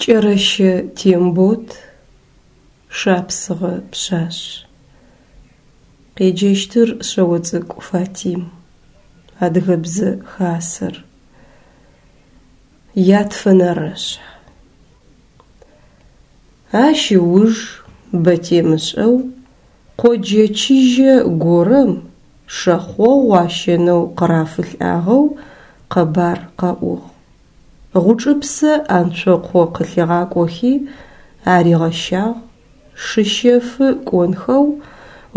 Кӏэрэщэ Тембот, Шапсыгъэ пшъашъ. Къеджэщтыр Шъэоцӏыкӏу Фатим. Адыгэбзэ хасэр. Ятфэнэрэшъхь. Ащ ыуж бэ темышӏэу къоджэ чыжьэ горэм шэхъогъу ащэнэу къырафылӏагъэу къэбар къэӏугъ. Гъучӏыпсэ Анцокъо къылъигъакӏохи аригъэщагъ, шыщэфы кӏонхэу,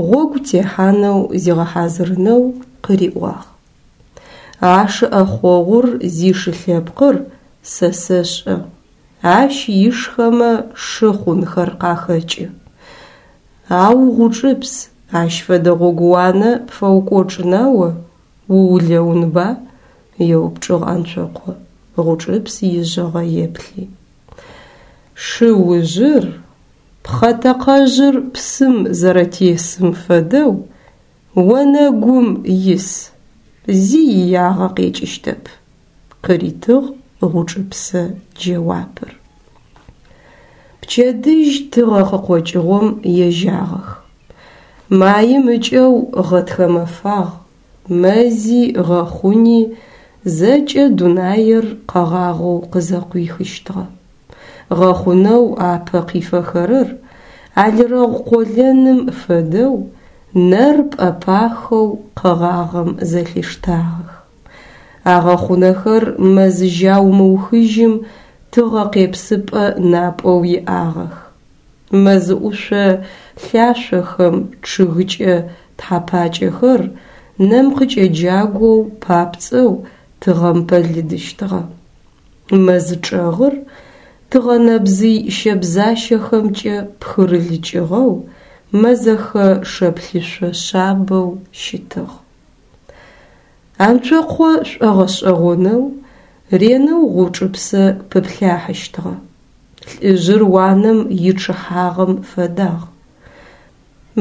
гъогу техьанэу зигъэхьазырынэу къыриӏуагъ. А шы ӏэхъогъур зишы лъэпкъыр сэ сэшӏэ, ащ ишхэмэ шы хъунхэр къахэкӏы. Ау, Гъучӏыпс, ащ фэдэ гъогууанэ пфэукӏочӏына о, уулэунба? еупчӏыгъ Анцокъо, Гъучӏыпс ижъыгъэ еплъи. Шы ужъыр, пхъэтэкъэжъыр псым зэрэтесым фэдэу, онэгум ис, зи иягъэ къекӏыщтэп, къыритыгъ Гъучӏыпсэ джэуапыр. Пчэдыжь тыгъэ къыкъокӏыгъом ежьагъэх. Маим ыкӏэу гъэтхэ мэфагъ, мэзи гъэхъуни зэкӏэ дунаир къэгъагъэу къызэкъуихыщтыгъэ. Гъэхъунэу апэ къифэхэрэр алырэгъу къолэным фэдэу нэр пӏэпахэу къэгъагъэм зэлъиштагъэх. А гъэхъунэхэр мэз жьау мыухыжьым тыгъэ къепсыпӏэ напӏэу иӏагъэх. Мэз ӏушъо лъашъохэм чъыгыкӏэ тхьэпакӏэхэр нэм къыкӏэджагоу папцӏэу тыгъэм пэлыдыщтыгъэ. Мэз чӏэгъыр тыгъэнэбзый щэбзащэхэмкӏэ пхырылыкӏыгъэу мэзэхэ шэплъышъо шъабэу щытыгъ. Анцокъо шӏогъэшӏэгъонэу ренэу Гъучӏыпсэ пыплъахьыщтыгъэ. Лӏыжъыр уанэм ичъыхьагъэм фэдагъ.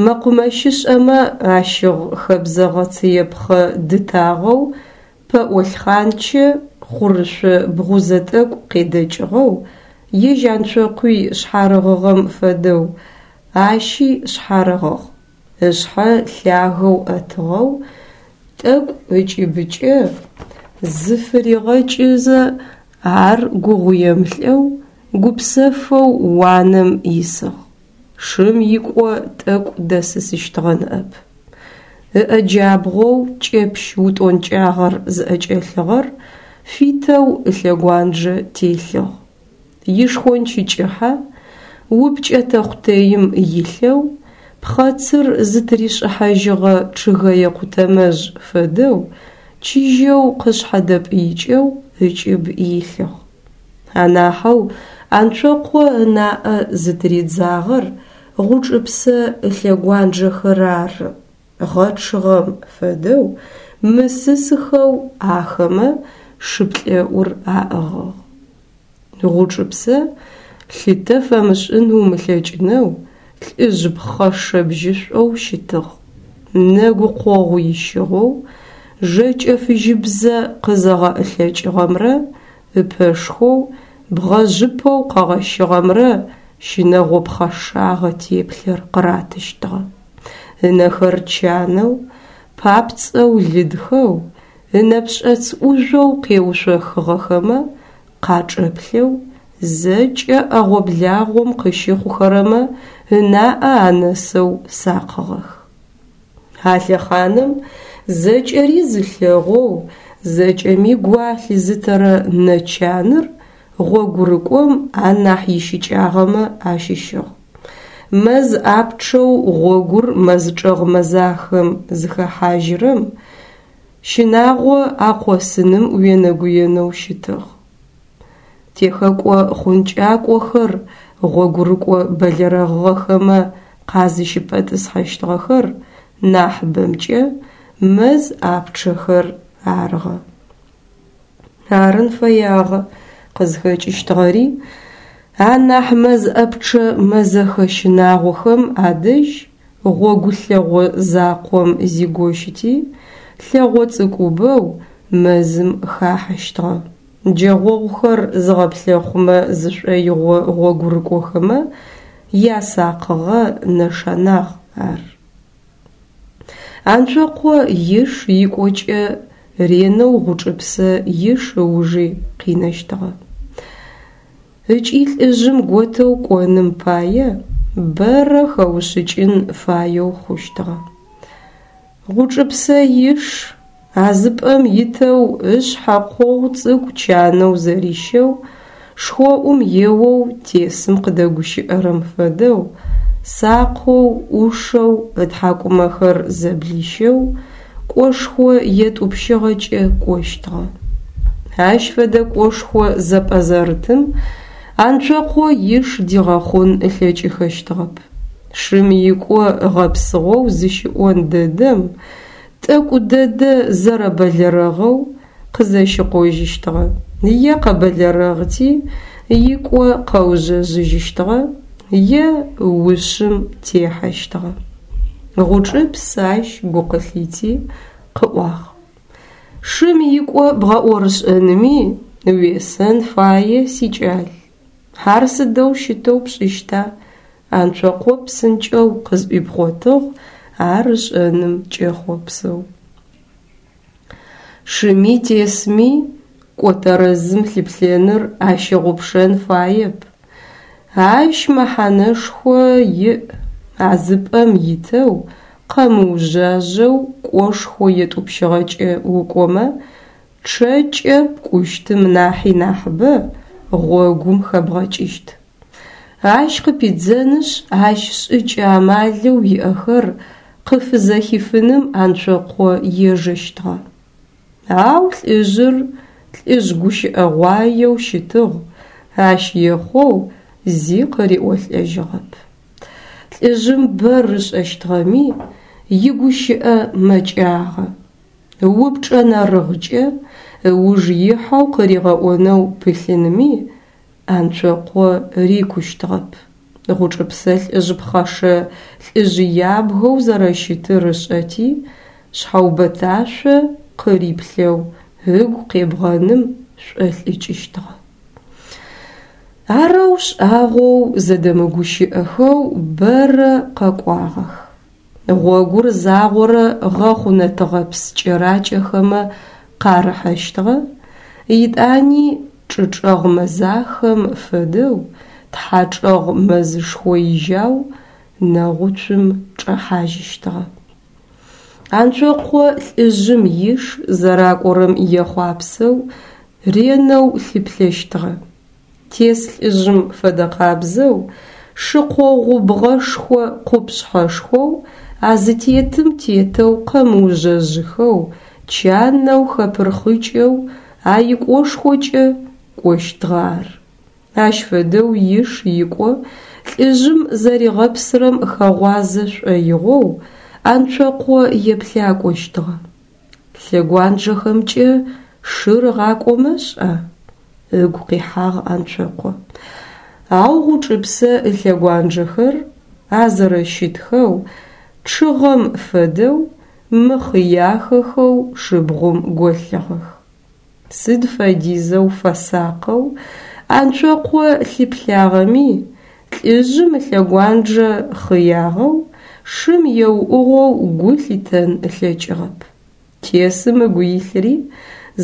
Мэкъумэщышӏэмэ ащыгъ хэбзэгъэ цыепхъэ дытагъэу пэӏо лъхъанчэ хъурышъо бгъузэ тӏэкӏу къедэкӏыгъэу, ежь Анцокъуи шъхьарыгъыгъэм фэдэу, ащи шъхьарыгъыгъ. Ышъхьэ лъагэу ӏэтыгъэу, тӏэкӏу ыкӏыбыкӏэ зыфыригъэкӏызэ, ар гугъуемылӏэу, гупсэфэу уанэм исыгъ. Шым икӏо тӏэкӏу дэсысыщтыгъэ ныӏэп. Ыӏэ джабгъоу кӏэпщ утӏонкӏагъэр зыӏэкӏэлъыгъэр фитэу ылъэгуанджэ телъыгъ. Ишхонч кӏыхьэ упкӏэ тэхъутэим илъэу, пхъэцыр зытыришӏыхьажьыгъэ чъыгэе къутэмэжъ фэдэу чыжьэу къышъхьэдэпӏыикӏэу ыкӏыб илъыгъ. Анахьэу Анцокъо ынаӏэ зытыридзагъэр Гъучӏыпсэ ылъэгуанджэхэр ары. Гъэчъыгъэм фэдэу мысысхэу ахэмэ шыплӏэӏур аӏыгъыгъ. Гъучӏыпсэ лъытэ фэмышӏын умылъэкӏынэу лӏыжъ пхъэшэ бжьышӏоу щытыгъ. Нэгу къогъу ищыгъэу, жэкӏэ фыжьыбзэ къызэгъэӏылъэкӏыгъэмрэ ыпэшхоу, бгъэжъыпэу къэгъэщыгъэмрэ щынэгъо пхъэшагъэ теплъэр къыратыщтыгъэ. Ынэхэр чанэу, папцӏэу лыдхэу, ынэпшӏэц ӏужъоу къеушъохыгъэхэмэ къачӏэплъэу, зэкӏэ ӏэгъо-благъом къыщыхъухэрэмэ ынаӏэ анэсэу сакъыгъэх. А лъэхъаным зэкӏэри зылъэгъоу, зэкӏэми гу алъызытэрэ нэ чаныр гъогурыкӏом анахь ищыкӏагъэмэ ащыщыгъ. Мэз ӏапчъэу гъогур мэзчӏэгъ мэзахэм зыхэхьажьырэм щынагъо акъосыным уенэгуенэу щытыгъ. Техэкӏо хъункӏакӏохэр гъогурыкӏо бэлэрэгъыгъэхэмэ къазыщыпэтӏысхьэщтыгъэхэр нахьыбэмкӏэ мэз ӏапчъэхэр арыгъэ. Арын фэягъэ къызхэкӏыщтыгъэри анахь мэз ӏэпчъэ мэзэхэ щынагъохэм адэжь гъогу лъэгъо закъом зигощыти, лъэгъо цӏыкӏубэу мэзым хахьэщтыгъэ. Джэгъогъухэр зыгъэплъэхъумэ зышӏоигъо гъогурыкӏохэмэ ясакъыгъэ нэшанагъ ар. Анцокъо иш икӏокӏэ ренэу Гъучӏыпсэ иш ыужи къинэщтыгъэ. Ыкӏи лӏыжъым готэу кӏоным пае бэрэ хэушъыкӏын фаеу хъущтыгъэ. Гъучӏыпсэ иш а зы пӏэм итэу ышъхьэ къогъу цӏыкӏу чанэу зэрищэу, шхоӏум еоу тесым къыдэгущыӏэрэм фэдэу, сакъэу, ӏушэу, ытхьакӏумэхэр зэблищэу, кӏошхо етӏупщыгъэкӏэ кӏощтыгъэ. Ащ фэдэ кӏошхо зэпӏэзэрытым Анцокъо иш дигъэхъун ылъэкӏыхэщтыгъэп. Шым икӏо гъэпсыгъэу зыщыӏон дэдэм, тӏэкӏу дэдэ зэрэбэлэрэгъэу къызэщыкъожьыщтыгъэ, е къэбэлэрэгъти, икӏо къэужъэжъыжьыщтыгъэ, е ушъым техьэщтыгъэ. Гъучӏыпс ащ гу къылъити, къыӏуагъ. Шым икӏо бгъэӏорышӏэными уесэн фае, сикӏал. Ар сыдэу щытэу пшӏыщта? Анцокъо псынкӏэу къызӏуипхъотыгъ ар ышӏэным кӏэхъопсэу. Шыми тесми кӏо тэрэзым лъыплъэныр ащыгъупшэн фаеп. Ащ мэхьанэшхо иӏ, а зы пӏэм итэу, къэмыужъажъэу кӏошхо етӏупщыгъэкӏэ укӏомэ, чъэкӏэ пкӏущтым нахьи нахьыбэ гъогум хэбгъэкӏыщт. Ащ къыпидзэнышъ, ащ шӏыкӏэ-амалэу иӏэхэр къыфызэхифыным Анцокъо ежэщтыгъэ. Ау лӏыжъыр лӏыжъ гущыӏэгъуаеу щытыгъ, ащ ехъоу зи къыриӏолӏэжьыгъэп. Лӏыжъым бэр ышӏэщтыгъэми, игущыӏэ мэкӏагъэ. Упчӏэ нэрыгъкӏэ ыуж ихьэу къыригъэӏонэу пылъынми Анцокъо рикущтыгъэп. Гъучӏыпсэ лӏыжъ пхъэшэ лӏыжъ ябгэу зэрэщытыр ышӏэти, шъхьэубэташъо къыриплъэу ыгу къебгъэным шӏолӏыкӏыщтыгъэ. Арэу шӏагъоу зэдэмыгущыӏэхэу бэрэ къэкӏуагъэх. Гъогур загъорэ гъэхъунэ тыгъэпс кӏэракӏэхэмэ къарыхьэщтыгъэ, етӏани чӏычӏэгъ мэзахэм фэдэу тхьачӏэгъ мэзышхо ижьау нэгъуцум чӏэхьажьыщтыгъэ. Анцокъо лӏыжъым иш зэракӏорэм ехъуапсэу ренэу лъыплъэщтыгъэ. Тес лӏыжъым фэдэкъабзэу, шы къогъу бгъэшхо къупшъхьэшхоу а зытетым тетэу къэмыужъэжъыхэу, чанэу хэпырхъыкӏэу а икӏошхокӏэ кӏощтыгъэ ар. Ащ фэдэу иш икӏо лӏыжъым зэригъэпсырэм хэгъуазэ шӏоигъоу Анцокъо еплъакӏощтыгъэ. Лъэгуанджэхэмкӏэ шыр ыгъакӏомэ шӏа? Ыгу къихьагъ Анцокъо. Ау Гъучӏыпсэ ылъэгуанджэхэр а зэрэщытхэу, чъыгъэм фэдэу, мыхъыяхэхэу шыбгъум голъыгъэх. Сыд фэдизэу фэсакъэу Анцокъо лъыплъагъэми, лӏыжъым ылъэгуанджэ хъыягъэу, шым еуӏугъэу гу лъитэн ылъэкӏыгъэп. Тесым ыгу илъри,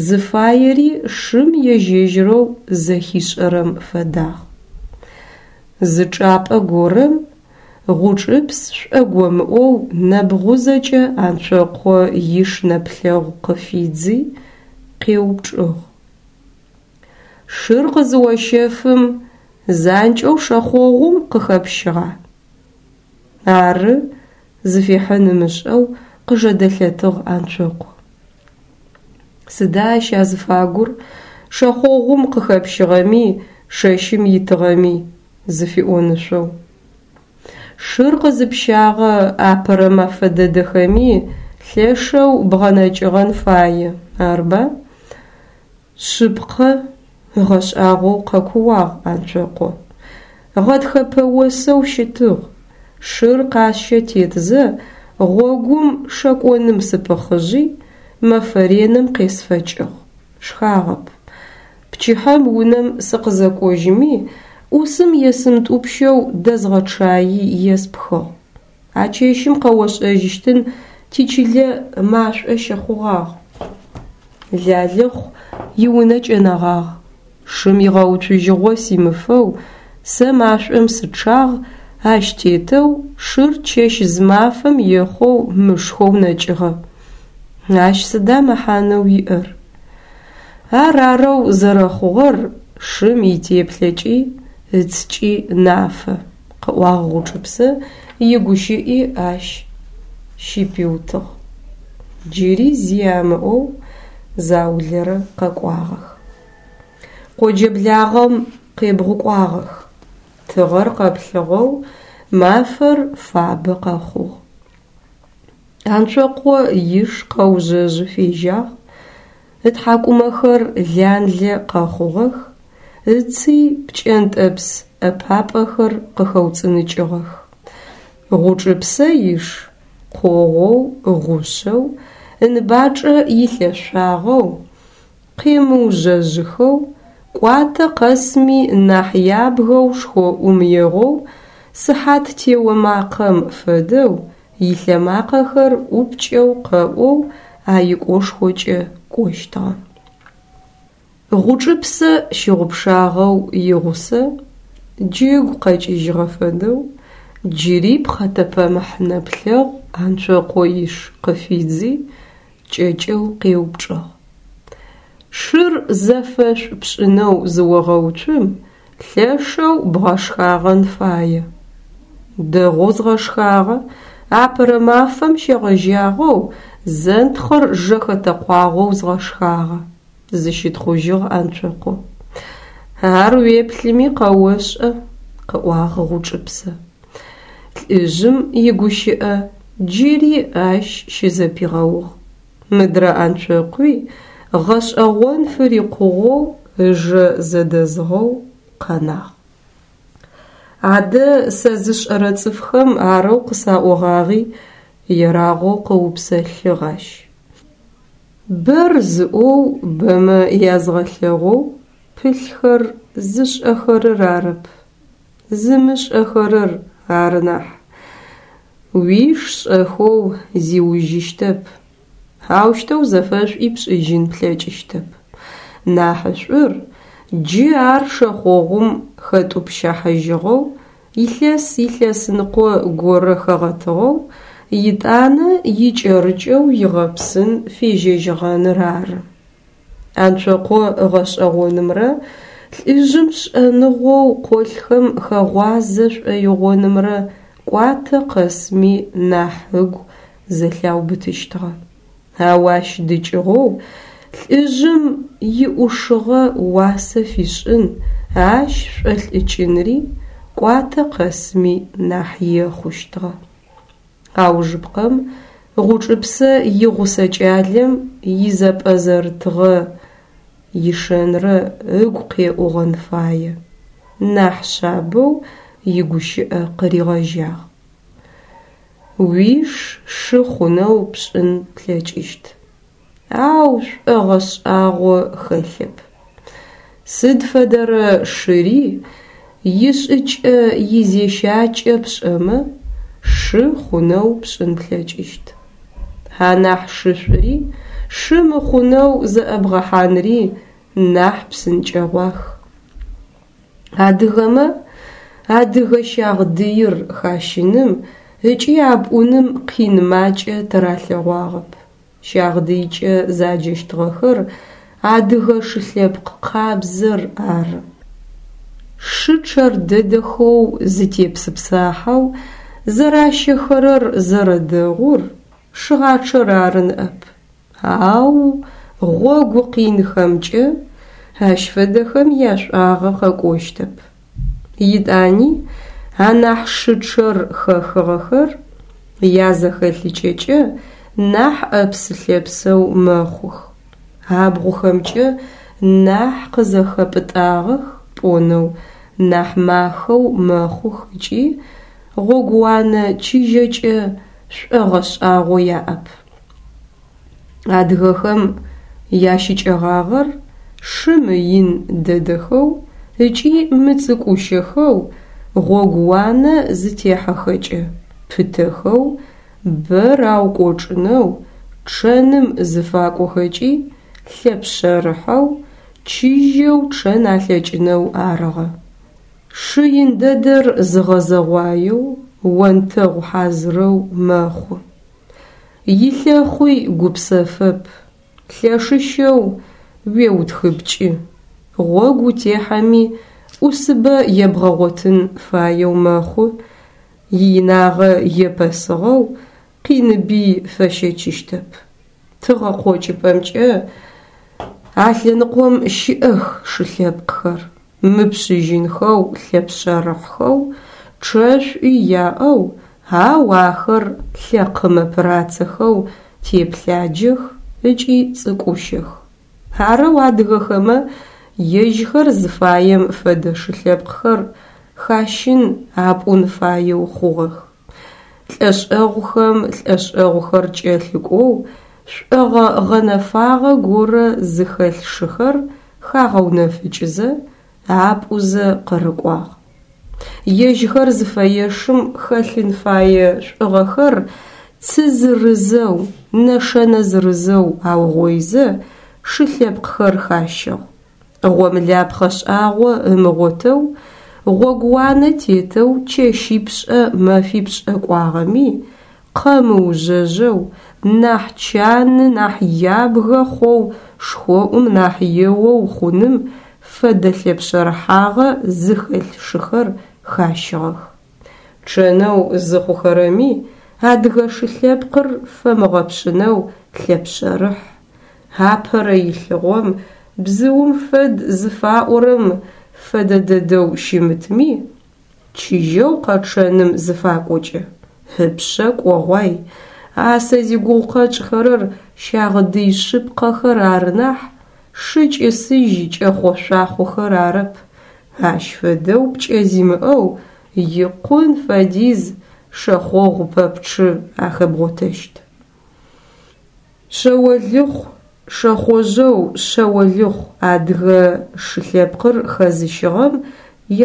зыфаери шым ежь-ежьырэу зэхишӏэрэм фэдагъ. Зы чӏапӏэ горэм Гъучӏыпс шӏогомыӏоу нэбгъузэкӏэ Анцокъо иш нэплъэгъу къыфидзи, къеупчӏыгъ. Шыр къызыощэфым, занкӏэу шэхъогъум къыхэпщыгъа? Ары, зыфихьын ымышӏэу къыжэдэлъэтыгъ Анцокъо. Сыда ащ азыфагур, шэхъогъум къыхэпщыгъэми, шэщым итыгъэми? Зыфиӏонышъоу. Шыр къызыпщагъэ апэрэ мэфэ дэдэхэми лъэшэу бгъэнэкӏыгъэн фае, арба? Шъыпкъэ, ыгъэшӏагъоу къэкууагъ Анцокъо. Гъэтхэпэ осэу щытыгъ. Шыр къасщэ тетзэ, гъогум шэкӏоным сыпыхъыжъи, мэфэ реным къесфэкӏыгъ. Шхагъэп. Пчыхьэм унэм сыкъызэкӏожьыми, ӏусым есымытӏупщэу дэзгъэчъаий еспхыгъ. А чэщым къэошӏэжьыщтын тичылэ машӏо щыхъугъагъ. Лалыхъу иунэ кӏэнэгъагъ. Шым игъэуцужьыгъо симыфэу сэ машӏом сычъагъ, ащ тетэу шыр чэщ-зымафэм ехъоу мышхэу нэкӏыгъэ. Ащ сыда мэхьанэу иӏэр? Ар арэу зэрэхъугъэр шым итеплъэкӏи ыцкӏи нафэ, къыӏуагъ Гъучӏыпсэ игущыӏи ащ щыпиутыгъ. Джыри зи амыӏоу заулэрэ къэкӏуагъэх. Къоджэ благъэм къебгъукӏуагъэх. Тыгъэр къэплъыгъэу мафэр фабэ къэхъугъ. Анцокъо иш къэужъэжъы фежьагъ, ытхьакӏумэхэр ланлэ къэхъугъэх, ыци пкӏэнтӏэпс ӏэпапӏэхэр къыхэуцӏыныкӏыгъэх. Гъучӏыпсэ иш къогъоу гъушъэу, ыныбачӏэ илъэшъуагъэу, къемыужъэжъыхэу, кӏуатэ къэсми нахь ябгэу шхоӏум егъоу, сыхьат тео макъэм фэдэу илъэмакъэхэр ӏупкӏэу къэӏоу а икӏошхокӏэ кӏощтыгъэ. Гъучӏыпсэ щыгъупшагъэу игъусэ джы ыгу къэкӏыжьыгъэ фэдэу джыри пхъэтэпэмыхь нэплъэгъу Анцокъо иш къыфидзи, кӏэкӏэу къеупчӏыгъ. Шыр зэфэшӏу пшӏынэу зыогъэуцум, лъэшэу бгъэшхагъэн фае. Дэгъоу згъэшхагъэ, апэрэ мафэм щегъэжьагъэу зэнтхъыр жэхэтэкъуагъэу згъэшхагъэ, зыщытхъужьыгъ Анцокъо. Ар уеплъыми къэошӏэ, къыӏуагъ Гъучӏыпсэ. Лӏыжъым игущыӏэ джыри ащ щызэпигъэугъ. Мыдрэ Анцокъуи гъэшӏэгъон фырикъугъэу ыжэ зэдэзыгъэу къэнагъ. Адэ сэ зышӏэрэ цӏыфхэм арэу къысаӏогъагъи, ерагъоу къыупсэлъыгъ ащ. Бэр зыӏоу бэмэ язгъэлъэгъоу пылъхэр зышӏэхэрэр арэп, зымышӏэхэрэр ары нахь. Уиш шӏэхэу зиужьыщтэп, аущтэу зэфэшӏуи пшӏыжьын плъэкӏыщтэп. Нахьышӏур джы ар шэхъогъум хэтӏупщахьыжьыгъэу, илъэс-илъэсныкъо горэ хэгъэтыгъэу, етӏанэ икӏэрыкӏэу игъэпсын фежьэжьыгъэныр ары. Анцокъо ыгъэшӏэгъонымрэ лӏыжъым шӏэныгъэу къолъхэм хэгъуазэ шӏоигъонымрэ кӏуатэ къэсми нахь ыгу зэлъаубытыщтыгъэ. Ау ащ дыкӏыгъоу лӏыжъым иӏушыгъэ уасэ фишӏын, ащ шӏолӏыкӏынри кӏуатэ къэсми нахь ехъущтыгъэ. Аужыпкъэм Гъучӏыпсэ игъусэ кӏалэм изэпӏэзэрытыгъэ ишэнрэ ыгу къеӏугъэн фае, нахь шъабэу игущыӏэ къыригъэжьагъ. Уиш шы хъунэу пшӏын плъэкӏыщт, ау шӏогъэ шӏагъо хэлъэп. Сыд фэдэрэ шыри ишӏыкӏэ-изещакӏэ пшӏэмэ, шы хъунэу пшӏын плъэкӏыщт. Анахь шышӏури шы мыхъунэу зэӏэбгъэхьанри нахь псынкӏэгъуах. Адыгэмэ адыгэ щагъдыир хащыным ыкӏи апӏуным къин макӏэ тыралъэгъуагъэп. Щагъдыйкӏэ заджэщтыгъэхэр адыгэ шы лъэпкъ къабзэр ары. Шы чъэр дэдэхэу зытепсыпсахьэу зэращэхэрэр зэрэдэгъур шыгъачъэр ары ныӏэп. Ау гъогу къинхэмкӏэ ащ фэдэхэм яшӏуагъэ къэкӏощтэп. Етӏани анахь шы чъэр хэхыгъэхэр язэхэлъыкӏэкӏэ нахь ӏэпсы-лъэпсэу мэхъух, абгъухэмкӏэ нахь къызэхэпӏытӏагъэх пӏонэу нахь махэу мэхъух ыкӏи гъогууанэ чыжьэкӏэ шӏогъэ шӏагъо яӏэп. Адыгэхэм ящыкӏэгъагъэр. Шы мыин дэдэхэу ыкӏи мыцӏыкӏущэхэу, гъогууанэ зытехьэхэкӏэ пытэхэу, бэ раукӏочӏынэу, чъэным зыфакӏохэкӏи лъэпшъэрыхьэу, чыжьэу чъэн алъэкӏынэу арыгъэ. Шы ин дэдэр зыгъэзэгъуаеу, онтэгъу хьазырэу мэхъу. Илъэхъуи гупсэфэп, лъэшыщэу уеутхыпкӏы, гъогу утехьэми ӏусыбэ ебгъэгъотын фаеу мэхъу, иинагъэ епэсыгъэу къиныби фэщэчыщтэп. Тыгъэкъокӏыпӏэмкӏэ а лъэныкъом щыӏэх шы лъэпкъхэр, мыпшъыжьынхэу, лъэпшъэрыхьхэу, чъэшӏуи яӏэу, ау ахэр лъэкъымэ пырацэхэу теплъаджэх ыкӏи цӏыкӏущэх. Арэу адыгэхэмэ ежьхэр зыфаем фэдэ шы лъэпкъхэр хащын, апӏун фаеу хъугъэх. Лӏэшӏэгъухэм лӏэшӏэгъухэр кӏэлъыкӏоу шӏогъэ гъэнэфагъэ горэ зыхэлъ шыхэр хагъэунэфыкӏызэ, апӏузэ къырыкӏуагъ. Ежьхэр зыфэешым хэлъын фае шӏугъэхэр цы зырызэу, нэшэнэ зырызэу аугъоизэ шы лъэпкъхэр хащыгъ. Гъомылапхъэ шӏагъо ымыгъотэу, гъогууанэ тетэу чэщипшӏэ мэфипшӏэ кӏуагъэми, къэмыужъэжъэу, нахь чаны, нахь ябгэ хъоу, шхоӏум нахь еоу хъуным фэдэ лъэпшъэрыхьагъэ зыхэлъ шыхэр хащыгъэх. Чъэнэу зыхъухэрэми адыгэ шы лъэпкъыр фэмыгъэпшъынэу лъэпшъэрыхь, апэрэ илъыгъом бзыум фэд зыфаӏорэм фэдэ дэдэу щымытми, чыжьэу къэчъэным зыфакӏокӏэ, ыпшъэ кӏогъуай, а сэ зигугъу къэтшӏхэрэр щагъдый шъыпкъэхэр ары нахь, шы кӏысыжь кӏэхъо-шъуахъохэр арэп, ащ фэдэу пкӏэ зимыӏэу икъун фэдиз шэхъогъу пэпчъы ахэбгъотэщт. Шъэолыхъу, шэхъожъэу Шъэолыхъу адыгэ шы лъэпкъыр хэзыщыгъэм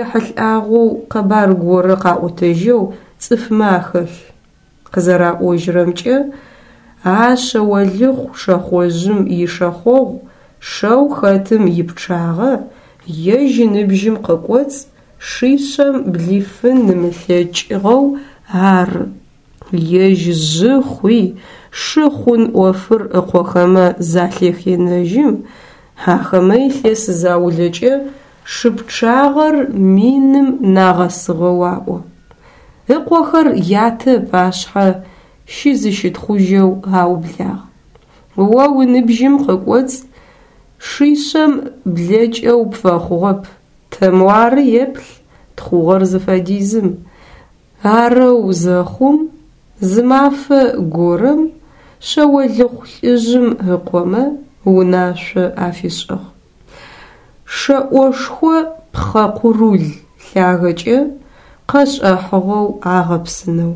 ехьылӏагъэу къэбар горэ къаӏотэжьэу цӏыфмэ ахэлъ. Къызэраӏожьрэмкӏэ, а Шъэолыхъу шэхъожъым ишэхъогъу шэу хэтым ипчъагъэ ежь ыныбжьым къыкӏоцӏ шишъэм блифын ымылъэкӏыгъэу ары. Ежь жъы хъуи, шы хъун ӏофыр ыкъохэмэ залъэхенэжьым, ахэмэ илъэс заулэкӏэ шы пчъагъэр миным нагъэсыгъэу аӏо. Ыкъохэр ятэ ыпашъхьэ щызыщытхъужьэу аублагъ. О уныбжьым къыкӏоцӏ шишъэм блэкӏэу пфэхъугъэп, тэ муары еплъ тхъугъэр зыфэдизым. Арэу зэхъум, зы мафэ горэм Шъэолыхъу лӏыжъым ыкъомэ унашъо афишӏыгъ. Шэӏошхо пхъэ къурул лъагэкӏэ къэшӏэхьыгъэу агъэпсынэу.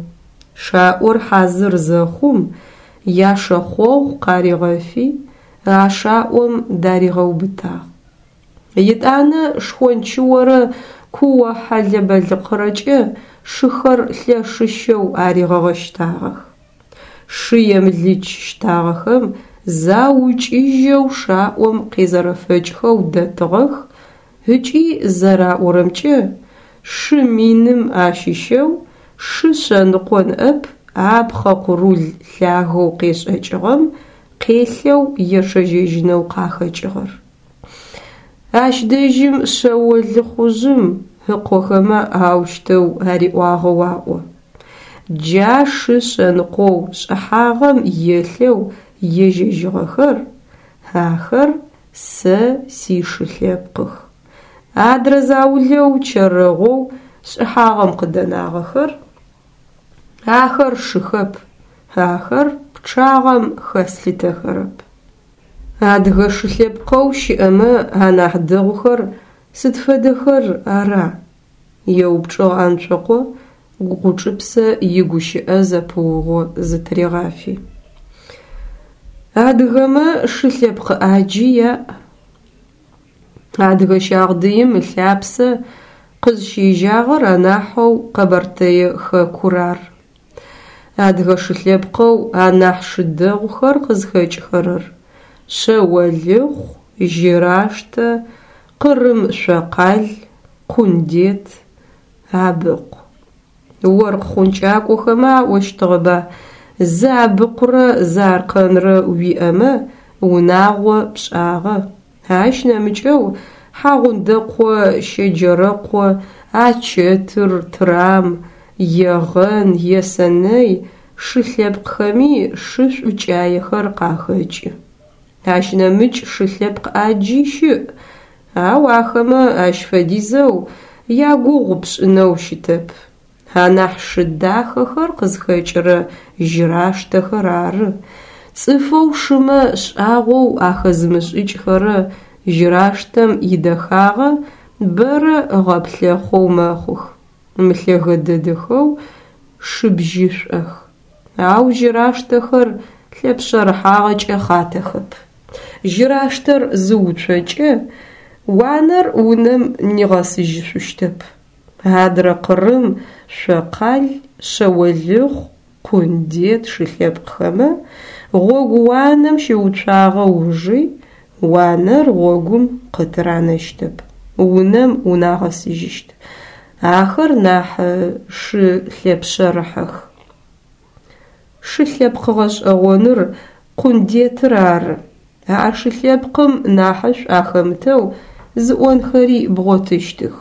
Шаӏор хьазыр зэхъум, яшэхъогъу къаригъэфи, а шаӏом даригъэубытагъ. Етӏанэ шхончыорэ куо хьэлэ-бэлыкъырэкӏэ шыхэр лъэшыщэу аригъэгъэщтагъэх. Шы емылыч щтагъэхэм заукӏыжьэу шаӏом къезэрэфэкӏхэу дэтыгъэх ыкӏи зэраӏорэмкӏэ, шы миным ащыщэу шы шъэныкъо ныӏэп а пхъэ къурул лъагэу къешӏэкӏыгъэм къелъэу ечъэжьэжьынэу къахэкӏыгъэр. Ащ дэжьым Шъэолыхъужъым ыкъохэмэ аущтэу ариӏуагъэу аӏо. Джа шы шъэныкъоу шӏыхьагъэм елъэу ежьэжьыгъэхэр, ахэр сэ сишы лъэпкъых. Адрэ заулэу чэрэгъоу шӏыхьагъэм къыдэнагъэхэр, ахэр шыхэп, ахэр пчъагъэм хэслъытэхэрэп. Адыгэ шы лъэпкъэу щыӏэмэ анахь дэгъухэр сыд фэдэхэр ара? еупчӏыгъ Анцокъо Гъучӏыпсэ игущыӏэ зэпыугъо зытыригъафи. Адыгэмэ шы лъэпкъ ӏаджи яӏ. Адыгэ щагъдыим ылъапсэ къызщежьагъэр анахьэу Къэбэртэе хэкур ары. Адыгэ шы лъэпкъэу анахь шы дэгъухэр къызхэкӏхэрэр Шъэолыхъу, Жьыраштэ, Къырым шъокъал, Къундет, Абыкъу. Оркъ хъункӏакӏохэмэ аӏощтыгъэба, зы Абыкъурэ зы аркъэнрэ уиӏэмэ, унагъо пшӏагъэ. Ащ нэмыкӏэу Хьагъундэкъо, Щэджэрэкъо, Ачэтыр, Трам, Егъэн, Есэнэй шы лъэпкъхэми шы шӏукӏаехэр къахэкӏы. Ащ нэмыкӏ шы лъэпкъ ӏаджи щыӏ, ау ахэмэ ащ фэдизэу ягугъу пшӏынэу щытэп. Анахь шы дахэхэр къызхэкӏырэ жьыраштэхэр ары. Цӏыфэу шымэ шӏагъоу ахэзымышӏыкӏхэрэ жьыраштэм идэхагъэ бэрэ ыгъэплъэхъоу мэхъух, мылъэгэ дэдэхэу шы бжьышӏох. Ау жьыраштэхэр лъэпшъэрыхьагъэкӏэ хъатэхэп. Жьыраштэр зыуцокӏэ, уанэр унэм нигъэсыжьышъущтэп. Адрэ къырым шъокъал, шъэолыхъу, къундет шы лъэпкъхэмэ, гъогу уанэм щыуцуагъэ ужи, уанэр гъогум къытыранэщтэп, унэм унагъэсыжьыщт. Ахэр нахь шы лъэпшъэрыхьэх. Шы лъэпкъ гъэшӏэгъоныр къундетыр ары. А шы лъэпкъым нахьышӏу ахэмытэу зыӏонхэри бгъотыщтых.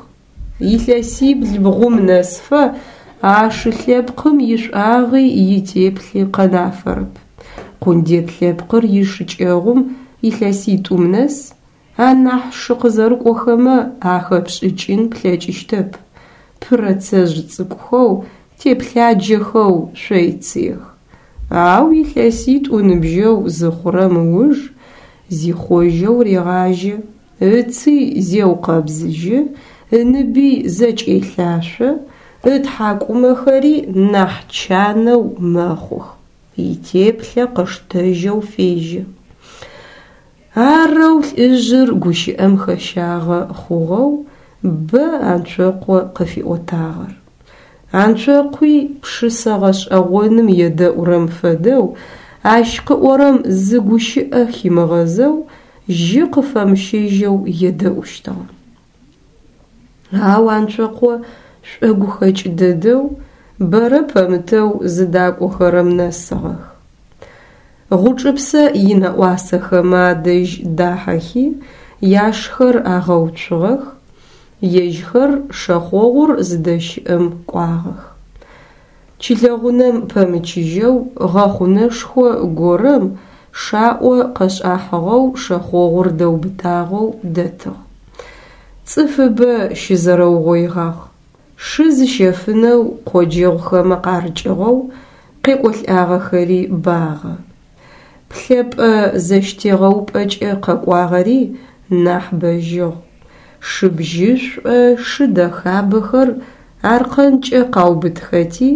Илъэсибл-бгъум нэсыфэ а шы лъэпкъым ишӏуагъи итеплъи къэнафэрэп. Къундет лъэпкъыр ишыкӏэгъум илъэситӏум нэс анахь шы къызэрыкӏохэмэ ахэпшӏыкӏын плъэкӏыщтэп, пырэцэжъ цӏыкӏухэу, теплъаджэхэу шъойцыех. Ау илъэситӏу ыныбжьэу зыхъурэм ыуж зихъожьэу регъажьэ, ыци зеукъэбзыжьы, ыныби зэкӏелъашъо, ытхьакӏумэхэри нахь чанэу мэхъух, итеплъэ къыштэжьэу фежьэ. Арэу лӏыжъыр гущыӏэм хэщагъэ хъугъэу бэ Анцокъо къыфиӏотагъэр. Анцокъуи пшысэ гъэшӏэгъоным едэӏурэм фэдэу, ащ къыӏорэм зы гущыӏэ химыгъэзэу, жьы къыфэмыщэжьэу едэӏущтыгъэ. Ау Анцокъо шӏогухэкӏ дэдэу, бэрэ пэмытэу зыдакӏохэрэм нэсыгъэх. Гъучӏыпсэ инэӏуасэхэмэ адэжь дахьэхи, яшхэр агъэуцугъэх, ежьхэр шэхъогъур зыдэщыӏэм кӏуагъэх. Чылэгъунэм пэмычыжьэу гъэхъунэшхо горэм шаӏо къэшӏахьыгъэу шэхъогъур дэубытагъэу дэтыгъ. Цӏыфыбэ щызэрэугъоигъагъ. Шы зыщэфынэу къоджэгъухэмэ къарыкӏыгъэу къекӏолӏагъэхэри багъэ. Плъэпӏэ зэщтегъэупӏэкӏэ къэкӏуагъэри нахь бэжьыгъ. Шы бжьышӏо, шы дэхабэхэр аркъэнкӏэ къаубытхэти,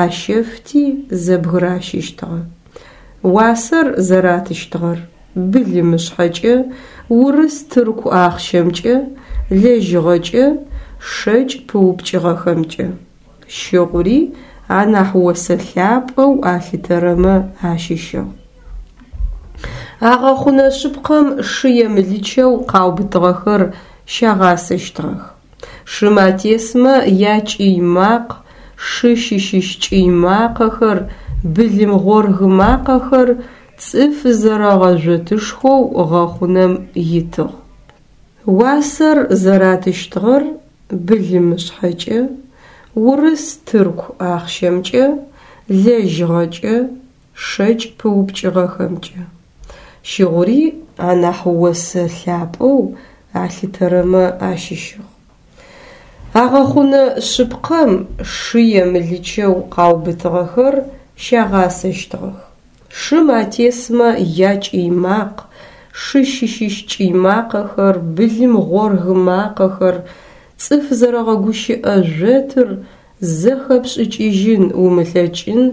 ащэфти зэбгыращыщтыгъэ. Уасэр зэратыщтыгъэр былымышъхьэкӏэ, урыс-тырку ахъщэмкӏэ, лэжьыгъэкӏэ, шэкӏ пыупкӏыгъэхэмкӏэ. Щыгъури анахь осэ лъапӏэу алъытэрэмэ ащыщыгъ. А гъэхъунэ шъыпкъэм шы емылычэу къаубытыгъэхэр щагъасэщтыгъэх. Шым атесмэ якӏый макъ, шы щыщыщ кӏый макъэхэр, былым гъоргы макъэхэр цӏыф зэрэгъэжъотышхоу гъэхъунэм итыгъ. Уасэр зэратыщтыгъэр былымышъхьэкӏэ, урыс-тырку ахъщэмкӏэ, лэжьыгъэкӏэ, шэкӏ пыупкӏыгъэхэмкӏэ. Щыгъури анахь осэ лъапӏэу алъытэрэмэ ащыщыгъ. А гъэхъунэ шъыпкъэм шы емылычэу къаубытыгъэхэр щагъасэщтыгъэх. Шым атесмэ якӏый макъ, шы щыщыщ кӏый макъэхэр, былым гъоргы макъэхэр, цӏыф зэрэгъэгущыӏэ жъотыр зэхэпшӏыкӏыжьын умылъэкӏын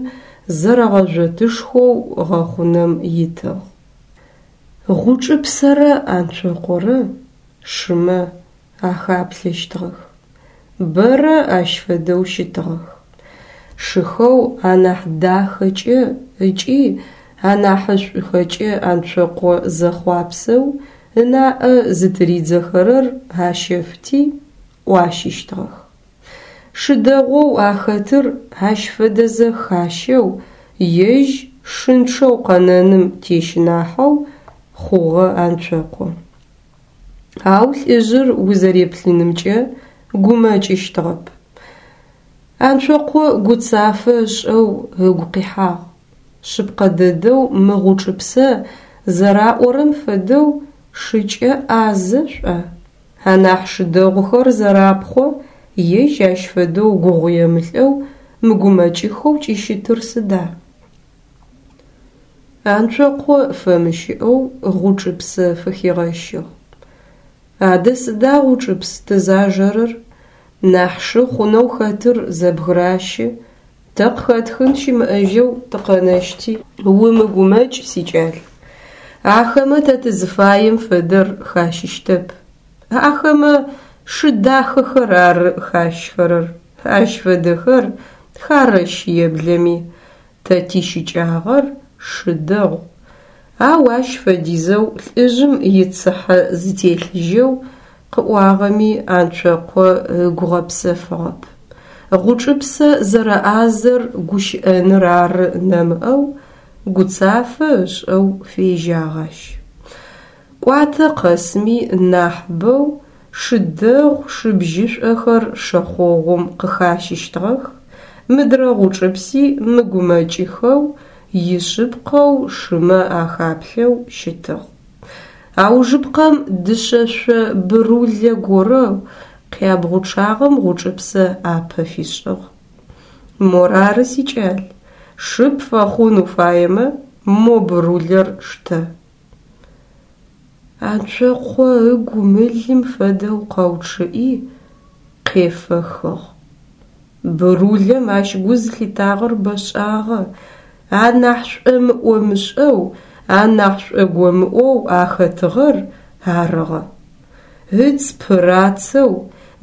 зэрэгъэжъотышхоу гъэхъунэм итыгъ. Гъучӏыпсэрэ Анцокъорэ. шымэ ахаплъэщтыгъэх. Бэрэ ащ фэдэу щытыгъэх. Шыхэу анахь дахэкӏэ ыкӏи анахьышӏухэкӏэ Анцокъо зэхъуапсэу ынаӏэ зытыридзэхэрэр ащэфти, ӏуащыщтыгъэх. Шы дэгъоу ахэтыр ащ фэдэзэ хащэу, ежь шынчъэу къэнэным тещынахьэу хъугъэ Анцокъо. Ау лӏыжъыр узэреплъынымкӏэ гумэкӏыщтыгъэп. Анцокъо гуцафэ ышӏэу ыгу къихьагъ. Шъыпкъэ дэдэу мы Гъучӏыпсэ зэраӏорэм фэдэу шыкӏэ ӏазэ шӏуа? Анахь шы дэгъухэр зэрапхъо, ежь ащ фэдэу гугъуемылӏэу, мыгумэкӏыхэу кӏыщытыр сыда? Анцокъо фэмыщыӏэу Гъучӏыпсэ фыхигъэщыгъ. Адэ сыда Гъучӏыпс тызажэрэр? Нахь шы хъунэу хэтыр зэбгыращы, тэ къыхэтхын щымыӏэжьэу тыкъэнэщти. Умыгумэкӏ, сикӏал. Ахэмэ тэ тызыфаем фэдэр хащыщтэп. Ахэмэ шы дахэхэр ары хащхэрэр, ащ фэдэхэр харэщ еблэми, тэ тищыкӏагъэр шы дэгъу. Ау ащ фэдизэу лӏыжъым ицыхьэ зытелъыжьэу къыӏуагъэми Анцокъо ыгу гъэпсэфыгъэп. Гъучӏыпсэ зэрэӏазэр гущыӏэныр ары нэмыӏэу гуцафэ ышӏэу фежьагъ ащ. Кӏуатэ къэсми нахьыбэу шы дэгъу шы бжьышӏохэр шэхъогъум къыхащыщтыгъэх, мыдрэ Гъучӏыпси мыгумэкӏыхэу, ишъыпкъэу шымэ ахаплъэу щытыгъ. Аужыпкъэм дышъэшъо бырулэ горэу къябгъучъагъэм Гъучӏыпсэ ӏапэ фишӏыгъ. Морары, сикӏал, шы пфэхъун уфаемэ, мо бырулэр штэ. Анцокъо ыгу мылым фэдэу къэучъыӏи, къефэхыгъ. Бырулэм ащ гу зылъитагъэр бэшӏагъэ, анахь шӏомыӏомышӏэу, анахь шӏогомыӏоу ахэтыгъэр арыгъэ. Ыц пырацэу,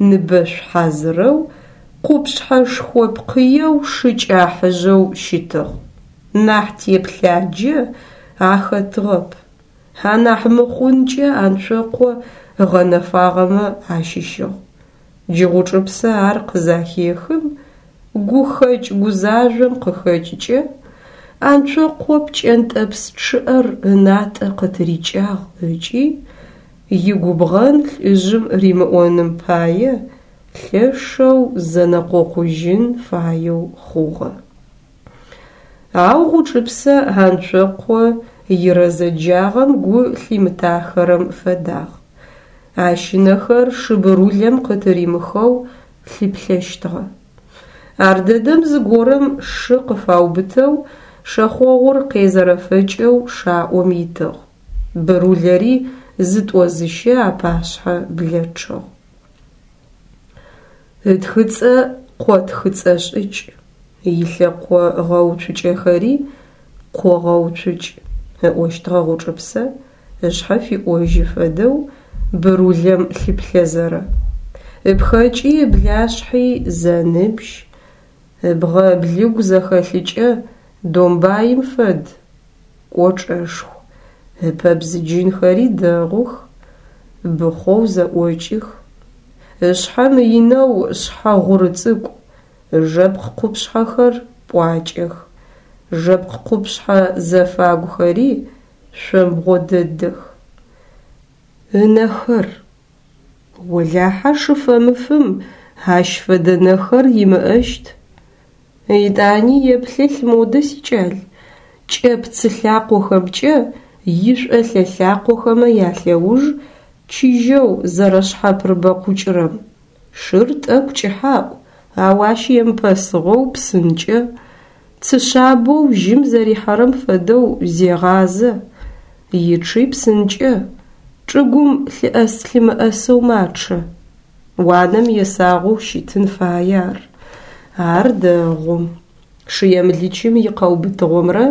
ныбэшъу хьазырэу, къупшъхьэшхо пкъыеу шы кӏахьыжъэу щытыгъ. Нахь теплъаджэ ахэтыгъэп. Анахь мыхъункӏэ Анцокъо ыгъэнэфагъэмэ ащыщыгъ. Джы Гъучӏыпсэ ар къызахехым, гухэкӏ гузажъом къыхэкӏыкӏэ, Анцокъо пкӏэнтӏэпс чъыӏэр ынатӏэ къытырикӏагъ ыкӏи, игубгъэн лӏыжъым римыӏоным пае, лъэшэу зэнэкъокъужьын фаеу хъугъэ. Ау Гъучӏыпсэ Анцокъо ирэзэджагъэм гу лъимытахэрэм фэдагъ. Ащ ынэхэр шы бырулэм къытыримыхэу лъыплъэщтыгъэ. Ардэдэм зыгорэм шы къыфаубытэу шэхъогъур къезэрэфэкӏэу шаӏом итыгъ. Бырулэри зытӏо-зыщэ апашъхьэ блэчъыгъ. Ытхыцӏэ къо тхыцӏэ шӏыкӏ, илъэкъо гъэуцукӏэхэри къо гъэуцукӏ, ыӏощтыгъэ Гъучӏыпсэ, ышъхьэ фиӏожьы фэдэу бырулэм лъыплъэзэрэ. Ыпхэкӏи ыблашъхьи зэныбжь, ыбгъэ ыблыгу зэхэлъыкӏэ домбаим фэд, кӏочӏэшху, ыпэ бзыджынхэри дэгъух, быхъоу зэӏокӏых. Ышъхьэ мыинэу шъхьэ гъуры цӏыкӏу, ыжэпкъ къупшъхьэхэр пӏуакӏэх, жэпкъ къупшъхьэ зэфагухэри шъомбгъо дэдэх. Ынэхэр. Олахьэ шы фэмыфым ащ фэдэ нэхэр имыӏэщт. Етӏани еплъэлъ модэ, сикӏал, кӏэпцы лъакъохэмкӏэ ишӏолъэ лъакъохэмэ ялъэуж чыжьэу зэрэшъхьапырыбэкъукӏырэм. Шыр тӏэкӏу кӏыхьаӏу, ау ащ емыпэсыгъэу псынкӏэ, цы шъабэу жьым зэрихьэрэм фэдэу зегъазэ, ичъи псынкӏэ, чӏыгум лъыӏэс-лъымыӏэсэу мачъэ. Уанэм есагъэу щытын фае ар. Ар дэгъу. Шы емылычым икъэубытыгъомрэ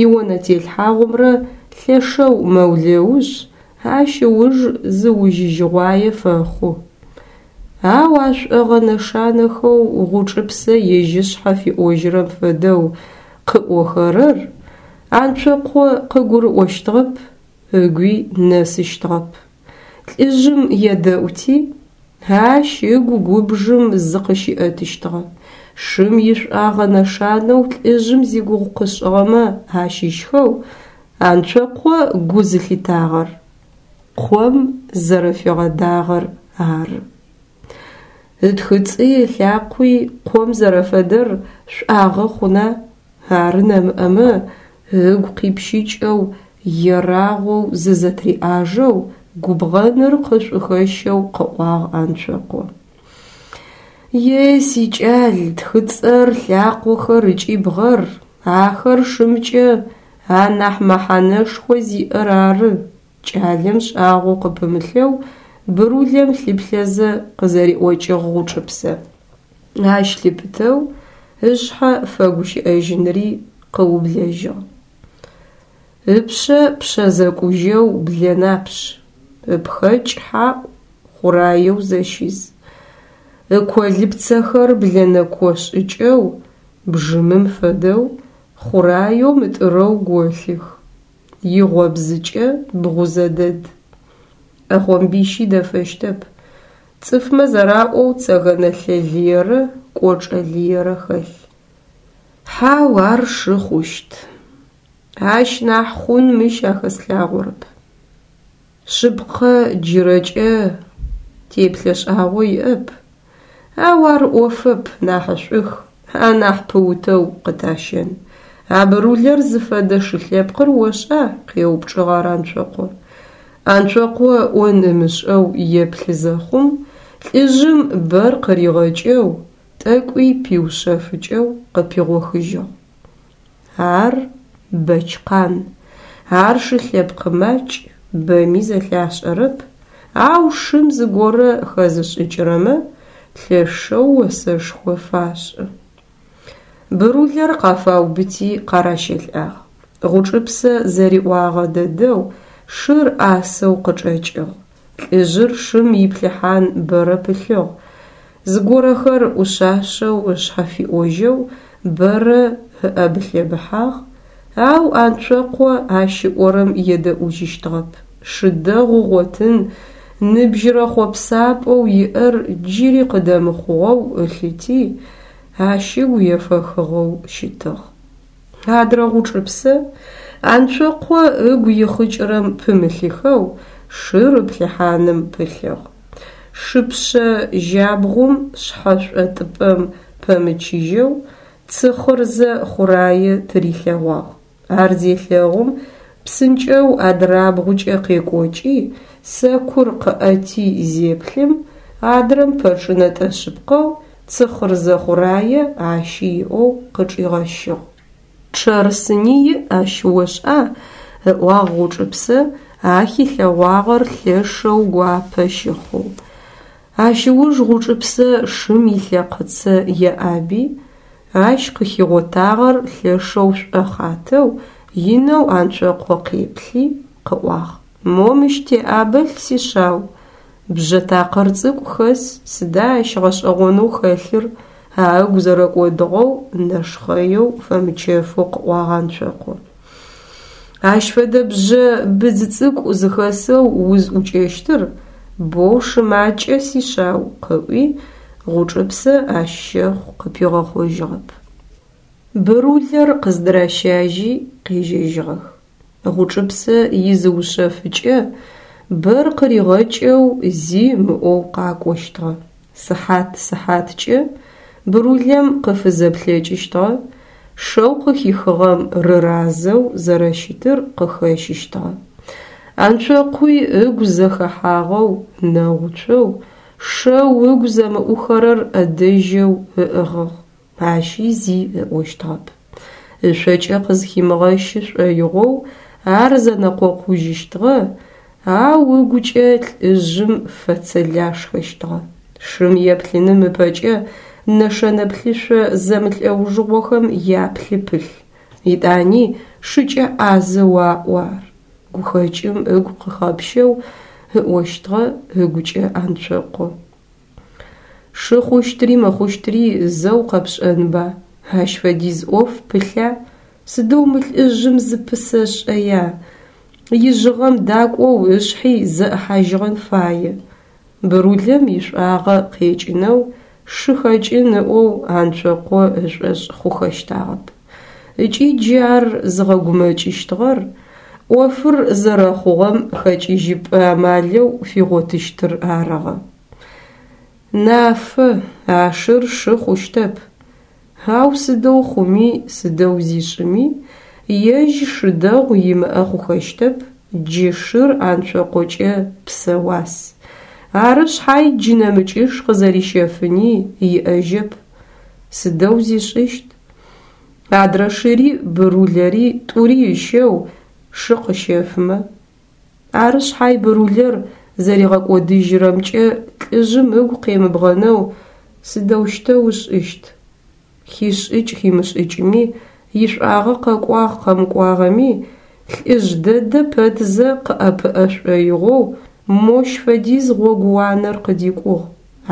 ионэтелъхьагъумрэ лъэшэу мэулэушъ, Ащ ыуж зыужьыжьыгъуае фэхъу. Ау а шӏогъэ нэшанэхэу Гъучӏыпсэ ежь ышъхьэ фиӏожьырэм фэдэу къыӏохэрэр Анцокъо къыгурыӏощтыгъэп, ыгуи нэсыщтыгъэп. Лӏыжъым едэӏути, ащ ыгу губжым зыкъыщиӏэтыщтыгъэ. Шым ишӏуагъэ нэшанэу лӏыжъым зигугъу къышӏыгъэмэ ащыщхэу Анцокъо гу зылъитагъэр къом зэрэфигъэдагъэр ары. Ытхыцӏи ылъакъуи къом зэрэфэдэр шӏуагъэ хъуна, ары нэмыӏэмэ, ыгу къипщыкӏэу, ерагъоу зызэтриӏажэу, губгъэныр къышӏухэщэу къыӏуагъ Анцокъо. Е, сикӏал, тхыцӏэр, лъакъохэр ыкӏи бгъэр, ахэр шымкӏэ анахь мэхьанэшхо зиӏэр ары, кӏалэм шӏагъо къыпымылъэу Брулэм лъыплъэзэ къызэриӏокӏыгъ Гъучӏыпсэ. Ащ лъыпытэу ышъхьэ фэгущыӏэжьынри къыублэжьыгъ. Ыпшъэ пшъэ зэкӏужьэу блэнапшъ, ыпхэкӏ хьаӏу хъураеу зэщиз. Ыколыпцэхэр блэнэко шӏыкӏэу, бжьымым фэдэу, хъураеу мытӏырэу голъых. Игъобзыкӏэ бгъузэ дэд. ӏэхъомбищи дэфэщтэп. Цӏыфмэ зэраӏоу цэгэнэлъэ лыерэ кӏочӏэ лыерэ хэлъ. Хьау, ар шы хъущт. Ащ нахь хъун мыщ ахэслъагъорэп. Шъыпкъэ, джырэкӏэ теплъэ шӏагъо иӏэп, ау ар ӏофэп, нахьышӏух, анахь пыутэу къытащэн. А Брулэр зыфэдэ шы лъэпкъыр ошӏа? къеупчӏыгъ ар Анцокъо. Анцокъо ыӏон ымышӏэу еплъы зэхъум, лӏыжъым бэр къыригъэкӏэу, тӏэкӏуи пиушъэфыкӏэу къыпигъохыжьыгъ. Ар Бэчкъан. Ар шы лъэпкъ макӏ, бэми зэлъашӏэрэп, ау шым зыгорэ хэзышӏыкӏырэмэ лъэшэу осэшхо фашӏы. Брулэр къафаубыти къаращэлӏагъ. Гъучӏыпсэ зэриӏуагъэ дэдэу шыр ӏасэу къычӏэкӏыгъ. Лӏыжъыр шым иплъыхьан бэрэ пылъыгъ. Зыгорэхэр ӏушъашъэу ышъхьэ фиӏожьэу бэрэ ыӏэбылъэбыхьагъ, ау Анцокъо ащ ыӏорэм едэӏужьыщтыгъэп. Шы дэгъу ыгъотын, ныбжьырэ хъопсапӏэу иӏэр джыри къыдэмыхъугъэу ылъыти, ащ ыгу ефэхыгъэу щытыгъ. Адрэ Гъучӏыпсэ Анцокъо ыгу ихъыкӏырэм пымылъыхэу шыр ыплъыхьаным пылъыгъ. Шыпшъэ жьабгъум шъхьэшӏотыпӏэм пэмычыжьэу цы хъырзэ хъурае тырилъэгъуагъ. Ар зелъэгъум, псынкӏэу адрабгъукӏэ къекӏокӏи, сэкур къыӏэти зеплъым, адрэм пэчӏынэтӏэ шъыпкъэу цы хъырзэ хъурае ащи иӏэу къычӏигъэщыгъ. Чъэрсыни иӏ ащ ошӏа? ыӏуагъ Гъучӏыпсэ, а хилъэгъуагъэр лъэшэу гуапэ щыхъоу. Ащ ыуж Гъучӏыпсэ шым илъэкъыцэ еӏаби, ащ къыхигъотагъэр лъэшэу шӏохъатэу, инэу Анцокъо къеплъи, къыӏуагъ: Мо мыщ теӏабэлъ, сишъау, бжьэ такъыр цӏыкӏу хэс, сыда ащ гъэшӏэгъонэу хэлъыр? А ыгу зэрэкӏодыгъэу, нэшхъэеу, фэмычэфэу къыӏуагъ Анцокъо. Ащ фэдэ бжьэ быдз цӏыкӏу зыхэсэу узӏукӏэщтыр боу шы макӏэ, сишъау, къыӏуи, Гъучӏыпсэ ащ щэхъу къыпигъэхъожьыгъэп. Брулэр къыздыращажьи къежьэжьыгъэх. Гъучӏыпсэ изыушъэфыкӏэ бэр къыригъэкӏэу зи ымыӏоу къакӏощтыгъэ. Сыхьат-сыхьаткӏэ Брулэм къыфызэплъэкӏыщтыгъэ, шэу къыхихыгъэм рыразэу зэрэщытыр къыхэщыщтыгъэ. Анцокъуи ыгу зэхэхьагъэу, нэгъуцоу, шэу ыгу зэмыӏухэрэр ӏэдэжьэу ыӏыгъыгъ. Ащи зи ыӏощтыгъэп. Ышъокӏэ къызхимыгъэщы шӏоигъоу ар зэнэкъокъужьыщтыгъэ, ау ыгукӏэ лӏыжъым фэцэлашхэщтыгъэ. Шым еплъыным ыпэкӏэ нэшэнэ плъышъо зэмылӏэужыгъохэм яплъы пылъ. Етӏани шыкӏэ ӏазэу аӏо ар. Гухэкӏым ыгу къыхэпщэу ыӏощтыгъэ ыгукӏэ Анцокъо. Шы хъущтри мыхъущтри зэу къэпшӏэнба, ащ фэдиз ӏоф пылъа, сыдэу мы лӏыжъым зыпысэшӏэя, ижъыгъэм дакӏоу ышъхьи зэӏыхьажьыгъэн фае. Бырулэм ишӏуагъэ къекӏынэу шы хэкӏын ыӏоу Анцокъо ышӏошъ хъухэщтагъэп. Ыкӏи джы ар зыгъэгумэкӏыщтыгъэр ӏофыр зэрэхъугъэм хэкӏыжьыпӏэ амалэу фигъотыщтыр арыгъэ. Нафэ, а шыр шы хъущтэп. Ау сыдэу хъуми, сыдэу зишӏыми, ежь шы дэгъу имыӏэ хъухэщтэп, джы шыр Анцокъокӏэ псэ уас. Ары шъхьай джы нэмыкӏыш къызэрищэфыни иӏэжьэп. Сыдэу зишӏыщт? Адрэ шыри Бырулэри тӏури ыщэу шы къыщэфымэ? Ары шъхьай Бырулэр зэригъэкӏодыжьырэмкӏэ лӏыжъым ыгу къемыбгъэнэу сыдэущтэу ышӏыщт? Хишӏыкӏ-химышӏыкӏми, ишӏуагъэ къэкӏуагъ-къэмыкӏуагъэми, лӏыжъ дэдэ пэтзэ къыӏэпыӏэ шӏоигъоу мощ фэдиз гъогууанэр къыдикӏугъ,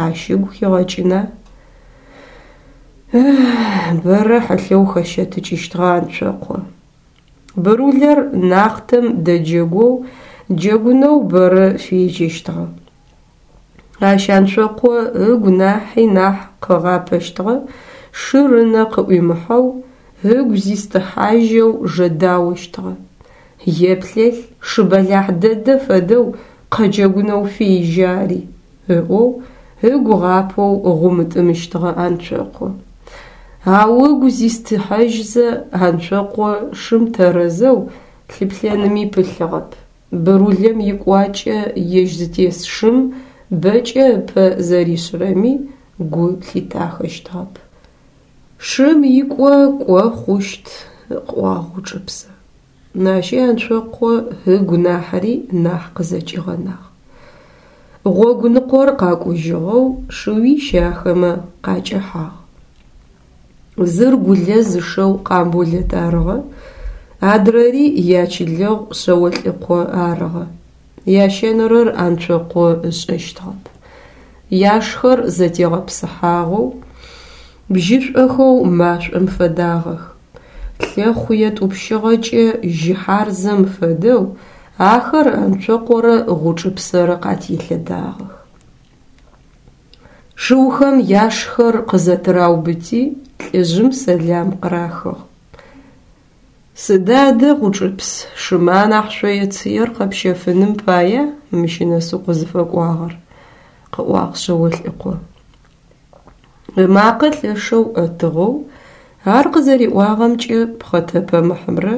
ащ ыгу хигъэкӏына? Бэрэ хьылъэу хэщэтыкӏыщтыгъэ Анцокъо. Бырулэр нахътэм дэджэгоу, джэгунэу бэрэ фежьэщтыгъэ. Ащ Анцокъо ыгу нахьи нахь къыгъапэщтыгъэ, шыр ынэ къыӏуимыхьэу, ыгу зистыхьажьэу жэдаощтыгъэ. Еплъэлъ, шы бэлахь дэдэ фэдэу къэджэгунэу фежьэ ари, ыӏоу ыгу ыгъапэу гъумытӏымыщтыгъэ Анцокъо. Ау ыгу зистыхьажьзэ Анцокъо шым тэрэзэу лъыплъэными пылъыгъэп. Бырулэм икӏуакӏэ ежь зытес шым бэкӏэ ыпэ зэришъырэми гу лъитахэщтыгъэп. Шым икӏо кӏо хъущт, къыӏуагъ Гъучӏыпсэ. Ащи Анцокъо ыгу нахьри нахь къызэкӏигъэнагъ. Гъогу ныкъор къакӏужьыгъэу шыуищ ахэмэ къакӏэхьагъ. Зыр Гулэз ышэу Къамболэт арыгъэ, адрэри ячылэгъу Шъэолӏыкъо арыгъэ. Ящэнэрэр Анцокъо ышӏэщтыгъэп. Яшхэр зэтегъэпсыхьагъэу, бжьышӏохэу машӏом фэдагъэх. Лъэхъу етӏупщыгъэкӏэ жьы хьарзэм фэдэу ахэр Анцокъорэ Гъучӏыпсэрэ къателъэдагъэх. Шыухэм яшхэр къызэтыраубыти, лӏыжъым сэлам къырахыгъ. Сыда адэ, Гъучӏыпс, шымэ анахь шъое-цыер къэпщэфыным пая мыщ нэс укъызыфэкӏуагъэр? къыӏуагъ Шъэолӏыкъо. Ымакъэ лъэшэу ӏэтыгъэу ар къызэриӏуагъэмкӏэ пхъэтэпэмыхьымрэ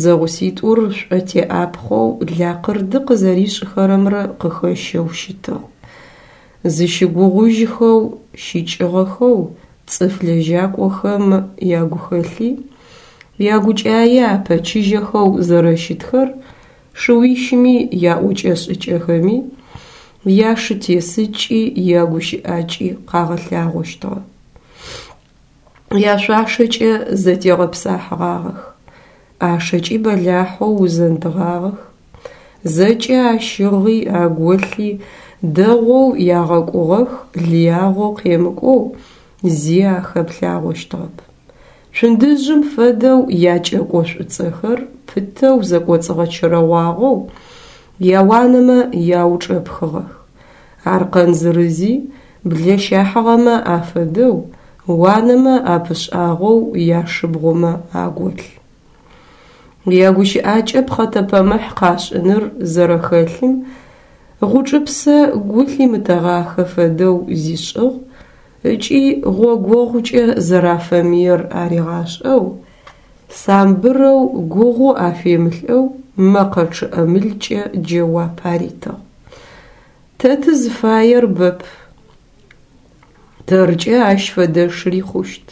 зэгъуситӏур шӏотеӏапхъэу лакъырды къызэришӏхэрэмрэ къыхэщэу щытыгъ. Зыщыгугъужьхэу щыкӏыгъэхэу цӏыф лэжьакӏохэм ягухэлъи, ягукӏае апэчыжьэхэу зэрэщытхэр шыуищми яӏокӏэ-шӏыкӏэхэми, яшытесыкӏи, ягущыӏакӏи къагъэлъагъощтыгъэ. Яшъуашэкӏэ зэтегъэпсахьыгъагъэх, ӏашэкӏи бэлахьэу узэндыгъагъэх. Зэкӏэ ащыгъи аголъи дэгъоу ягъэкӏугъэх, лыягъэу къемыкӏоу зи ахэплъагъощтыгъэп. Цундыжъым фэдэу якӏэкӏо шӏуцӏэхэр пытэу зэкӏоцӏыгъэчэрэгъуагъэу яуанэмэ яучӏэпхыгъэх. Аркъэн зырызи блэ щахьыгъэмэ афэдэу уанэмэ апышӏагъэу яшыбгъумэ аголъ. Ягущыӏакӏэ пхъэтэпэмыхь къашӏыныр зэрэхэлъым Гъучӏыпсэ гу лъимытэгъахэ фэдэу зишӏыгъ ыкӏи гъогогъукӏэ зэрафэмыер аригъашӏэу, самбырэу гугъу афемылӏэу мэкъэ чъыӏэмылкӏэ джэуап аритыгъ. Тэ тызыфаер бэп. Тэркӏэ ащ фэдэшри хъущт.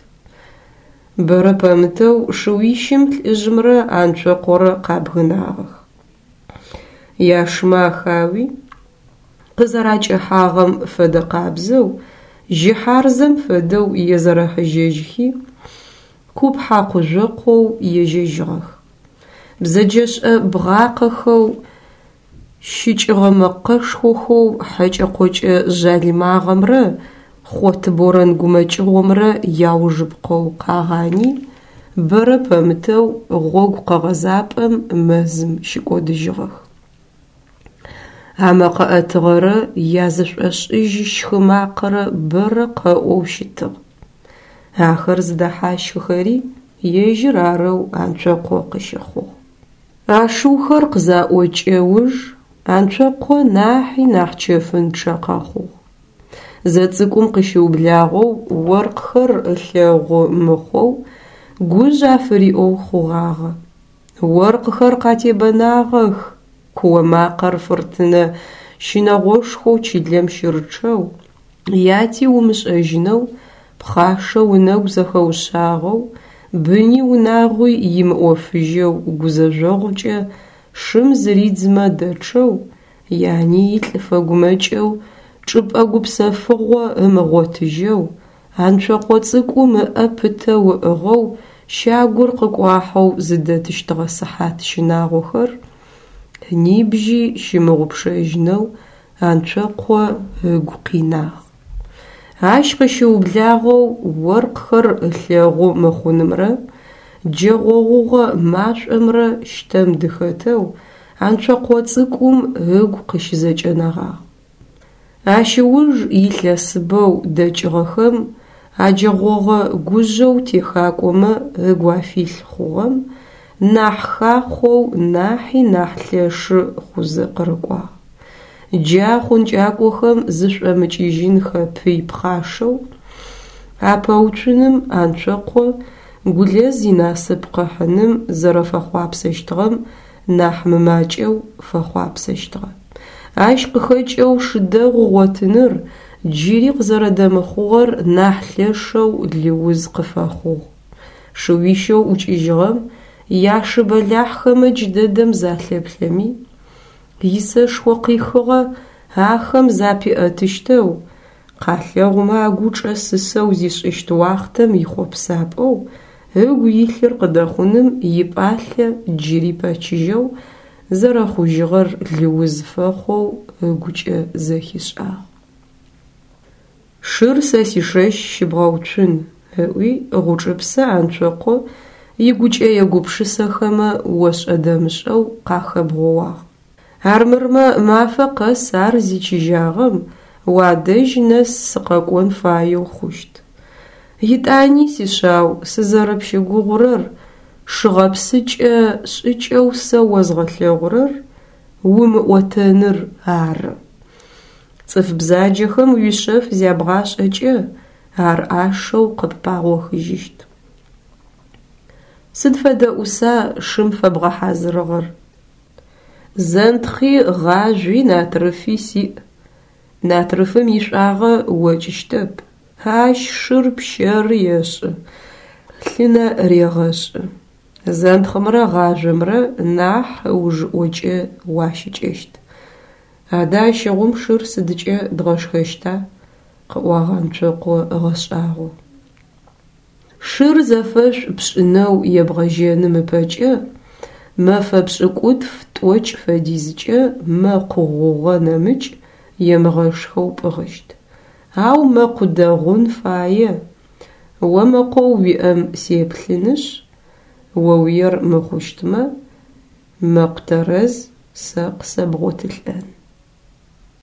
Бэрэ пэмытэу шыуищым лӏыжъымрэ Анцокъорэ къабгынагъэх. Яшымэ ахауи, къызэракӏэхьагъэм фэдэ къабзэу, жьы хьарзэм фэдэу езэрэхьыжьэжьхи, куп хьакъу-жъокъоу ежьэжьыгъэх. Бзэджэшӏэ бгъакъэхэу, щыкӏыгъэ мэкъэшхохэу хьэкӏэ-къокӏэ жъалымагъэмрэ хъот борэн гумэкӏыгъомрэ яужыпкъэу къагъани, бэрэ пэмытэу гъогу къэгъэзапӏэм мэзым щыкӏодыжьыгъэх. Амэкъэ ӏэтыгъэрэ язышӏошӏыжь щхы макъэрэ бэрэ къэӏоу щытыгъ. Ахэр зыдэхьащхыхэри ежьыр арэу Анцокъо къыщыхъугъ. А шыухэр къызаӏокӏэ уж Анцокъо нахьи нахь чэфынчъэ къэхъугъ. Зэцӏыкӏум къыщыублагъэу оркъхэр ылъэгъу мыхъоу гужъ афыриӏоу хъугъагъэ. Оркъхэр къатебэнагъэх! Куо макъэр фыртынэ щынэгъошхоу чылэм щырычъэу, яти умышӏэжьынэу, пхъашэу ынэгу зэхэушъагъэу, быни унагъуи имыӏофыжьэу гузэжъогъукӏэ шым зыридзмэ дэчъэу, яни илӏ фэгумэкӏэу, чӏыпӏэ гупсэфыгъо ымыгъотыжьэу, Анцокъо цӏыкӏум ыӏэ пытэу ыӏыгъэу щагур къыкӏуахьэу зыдэтыщтыгъэ сыхьат щынагъохэр нибжьи щымыгъупшэжьынэу Анцокъо ыгу къинагъ. Ащ къыщыублагъэу оркъхэр ылъэгъу мыхъунымрэ джэгъогъугъэ машӏомрэ щтэм дыхэтэу Анцокъо цӏыкӏум ыгу къыщызэкӏэнэгъагъ. Ащ ыуж илъэсыбэу дэкӏыгъэхэм аджэгъогъэ гужъэу техакӏомэ ыгу афилъ хъугъэм нахь хахъоу, нахьи нахь лъэшы хъузэ къырыкӏуагъ. Джа хъункӏакӏохэм зышӏомыкӏыжьынхэ пый пхъашэу апэуцуным Анцокъо Гулэз инасып къыхьыным зэрэфэхъуапсэщтыгъэм нахь мымакӏэу фэхъуапсэщтыгъэ. Ащ къыхэкӏэу шы дэгъу ыгъотыныр джыри къызэрэдэмыхъугъэр нахь лъэшэу лыуз къыфэхъугъ. Шыуищэу ӏукӏыжьыгъэм яшы бэлахьхэмэ джыдэдэм залъэплъэми, исэшхо къихыгъэ ахэм запиӏэтыщтэу, къалъэгъумэ агучӏэ сысэу зишӏыщт уахътэм ихъопсапӏэу ыгу илъыр къыдэхъуным ипӏалъэ джыри пэчыжьэу зэрэхъужьыгъэр лыуз фэхъоу ыгукӏэ зэхишӏагъ. Шыр сэ сишэщ щыбгъэуцун, ыӏуи Гъучӏыпсэ Анцокъо игукӏэе-гупшысэхэмэ ошӏэ-дэмышӏэу къахэбгъоуагъ. Армырмэ, мафэ къэс ар зичыжьагъэм уадэжь нэс сыкъэкӏон фаеу хъущт. Етӏани, сишъау, сызэрэпщыгугъурэр шы гъэпсыкӏэ шӏыкӏэу сэ озгъэлъэгъурэр умыӏотэныр ары. Цӏыф бзаджэхэм уишъэф зябгъашӏэкӏэ, ар ӏашэу къыппагъохыжьыщт. Сыд фэдэ ӏуса шым фэбгъэхьазырыгъэр? Зэнтхъи, гъажъуи, натрыфи сиӏ. Натрыфым ишӏуагъэ окӏыщтэп, ащ шыр пщэры ешӏы, лъынэ регъэшӏы. Зэнтхъымрэ гъажъомрэ нахь ыужыӏокӏэ уащыкӏэщт. Адэ ащыгъум шыр сыдкӏэ дгъэшхэщта? къыӏуагъ Анцокъо ыгъэшӏагъоу. Шыр зэфэшӏу пшӏынэу ебгъэжьэным ыпэкӏэ мэфэ пшӏыкӏутф-тӏокӏ фэдизкӏэ мэкъу гъугъэ нэмыкӏ емыгъэшхэу пӏыгъыщт. Ау мэкъу дэгъун фае. О мэкъоу уиӏэм сеплъынышъ, оуиер мыхъущтмэ, мэкъу тэрэз сэ къысэбгъотылӏэн.